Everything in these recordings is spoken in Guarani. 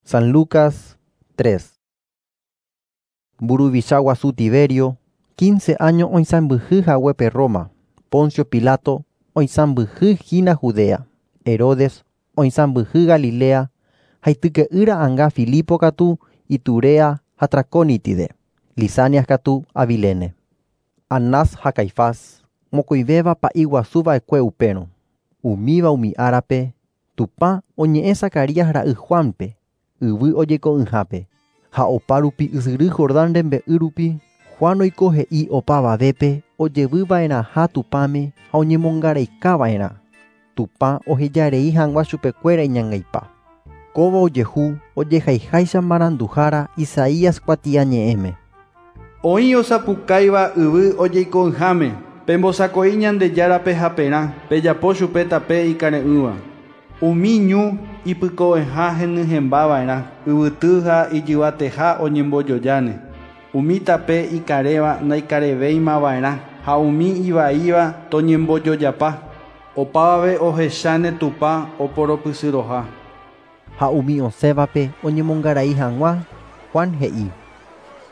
San Lucas 3. Mburuvicha guasu Tiberio, 15 áño oisãmbyhy haguépe Roma, Poncio Pilato oisãmbyhy hína Judea, Herodes oisãmbyhy Galilea ha ityke'ýra anga Filipo katu Iturea ha Traconítide, Lisanias katu Abilene. Anás ha Caifás, mokõivéva pa'i guasu va'ekue upérõ. Umíva umi árape, Tupã oñe'ẽ Zacarías ra'y Juánpe, yvy ojeko'ỹhápe. Ha opa rupi ysyry Jordán rembe'y rupi, Juan oiko he'i opavavépe ojevyva'erãha Tupãme ha oñemongaraikava'erã. Tupã ohejarei hag̃ua chupekuéra iñangaipa. Kóva ojehu ojehaiháicha maranduhára Isaías kuatiañe'ẽme. Oĩ osapukáiva yvy ojeiko'ỹháme, pembosako'i Ñandejárape haperã, pejapo chupe tape ikare'ỹva. Umi ñu ipyko'ẽha henyhẽmbava'erã, yvyty ha ijyvateha oñembojojáne. Umi tape ikarẽva ndaikarevéimava'erã ha umi ivaíva toñembojojapa. Opavave ohecháne Tupã oporopysyroha. Ha umi osẽvape oñemongarai hag̃ua, Juan he'i: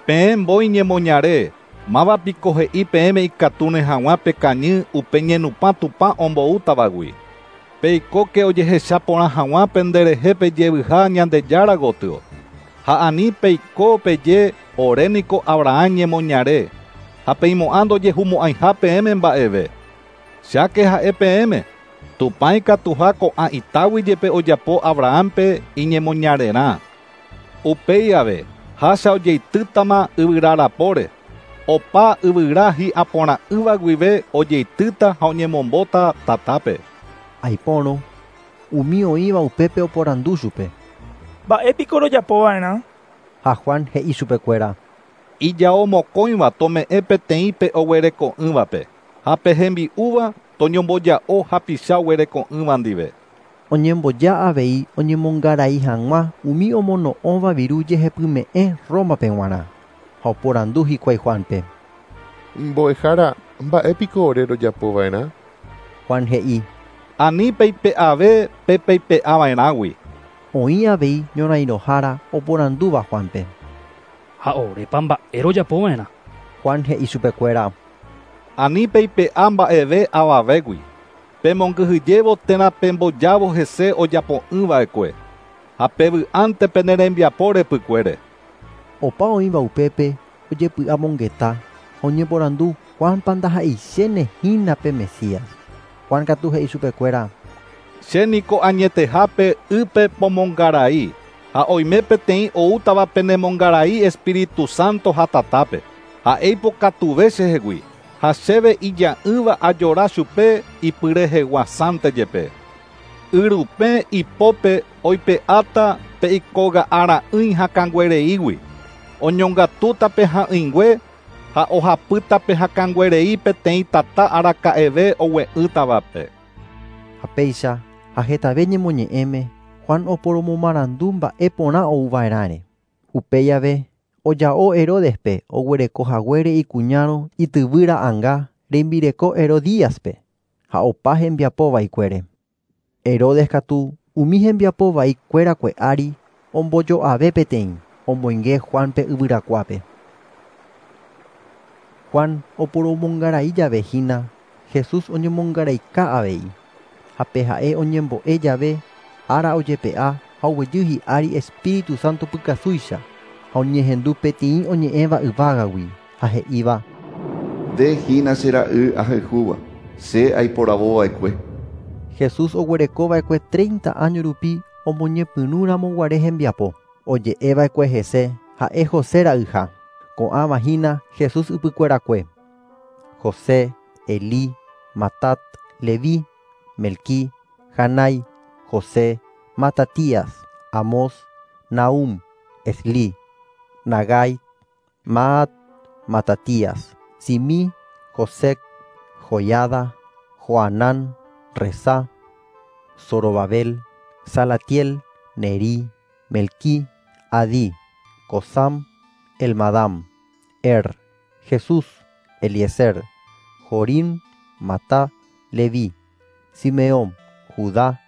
Peẽ mbói ñemoñare, mávapiko he'i peẽme ikatúne hag̃ua pekañy upe ñenupã Tupã omboútavagui. Peikóke ojehecha porã hag̃ua penderehe pejevyha Ñandejára gotyo. Ha ani peiko peje oréniko Abraham ñemoñare, ha peimo'ã ndojehumo'ãiha peẽme mba'eve. Cháke ha'e peẽme, Tupã ikatuha ko'ã itágui jepe ojapo Abrahampe iñemoñarerã. Upéi ave, hácha ojeitýtama yvyra rapóre. Opa yvyra hi'aporã'ỹva guive ojeitýta ha oñemombóta tatápe. Aipórõ, umi oĩva upépe oporandu chupe. Mba'épiko rojapova'erã? Ha Juan he'i chupekuéra. Ijao mokõiva tome'ẽ peteĩ pe oguereko'ỹvape, ha pe hembi'úva toñomboja'o hapicha oguereko'ỹva ndive. Oñemboja avei oñemongarai hag̃ua umi omono'õva viru jehepyme'ẽ Rómape g̃uarã. Ha oporandu hikuái Juánpe. Mbo'ehára, mba'épiko ore rojapova'erã? Juan he'i. Ani peipe'ave pe peipe'ava'erãgui. Oĩ avei ñorairõhára oporandúva Juánpe. Ha orépa mba'e rojapova'erã? Juan he'i chupekuéra. Ani peipe'a mba'eve avavégui. Pemongyhyjévo térã pembojávo hese ojapo'ỹva'ekue. Ha pevy'ánte pene rembiapo repykuére. Opa oĩva upépe ojepy'amongeta ha oñeporandu Juánpa ndaha'eichéne hína pe Mesías. Juan katu he'i chupekuéra. Chéniko añetehápe ýpe pomongarai, ha oime peteĩ oútava penemongarai Espíritu Santo ha tatápe. Ha'e ipokatuve chehegui, ha chéve ija'ỹva ajora chupe ipyreheguasánte jepe. Yrupẽ ipópe oipe'áta pe ikoga'ara'ỹi hakãnguereígui. Oñongatúta pe ha'ỹingue ha ohapýta pe hakãnguerei peteĩ tata araka'eve ogue'ỹtavape. Ha péicha ha hetave ñemoñe'ẽme Juan oporomomarandu mba'e porã ouva'erãre. Upéi ave oja'o Herodespe oguereko haguére ikuñárõ ityvýra anga rembireko Herodíaspe ha opa hembiapo vaikuére. Herodes katu umi hembiapo vaikuérakue ári ombojo'ave peteĩ, omoinge Juánpe yvyrakuápe. Juan oporomongarai jave hína, Jesús oñemongaraika avei. Ha pe ha'e oñembo'e jave, ára ojepe'a ha oguejy hi'ári Espíritu Santo pykasúicha, ha oñehendu peteĩ oñe'ẽva yvágagui, ha he'íva: Nde hína che ra'y ahayhúva, che aiporavova'ekue. Jesús oguerekova'ekue 30 áño rupi omoñepyrũramoguare hembiapo. Oje'eva'ekue hese ha'e José ra'yha. Ko'ãva hína Jesús ypykuerakue. José, Elí, Matat, Leví, Melquí, Janai, José, Matatías, Amós, Nahum, Esli, Nagai, Maat, Matatías, Simí, Josec, Joiada, Joanán, Rezá, Zorobabel, Salatiel, Nerí, Melquí, Adí, Cosam, Elmadam, Er, Jesús, Eliezer, Jorim, Matá, Leví, Simeón, Judá,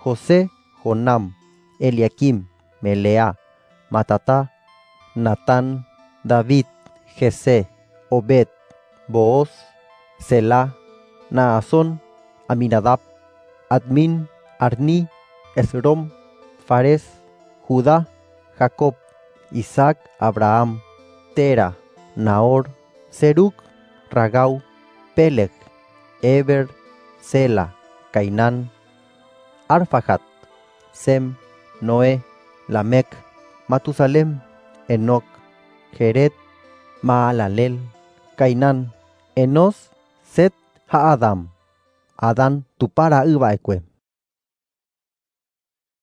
José, Jonam, Eliaquim, Meleá, Matatá, Natán, David, Jesé, Obed, Booz, Selah, Naasón, Aminadab, Admin, Arní, Esrom, Fares, Judá, Jacob, Isaac, Abraham, Tera, Nahor, Serug, Ragau, Peleg, Eber, Sela, Cainán, Arfaxad, Sem, Noé, Lamec, Matusalem, Enoc, Jered, Maalalel, Cainán, Enos, Set ha Adam. Adán Tupã ra'y va'ekue.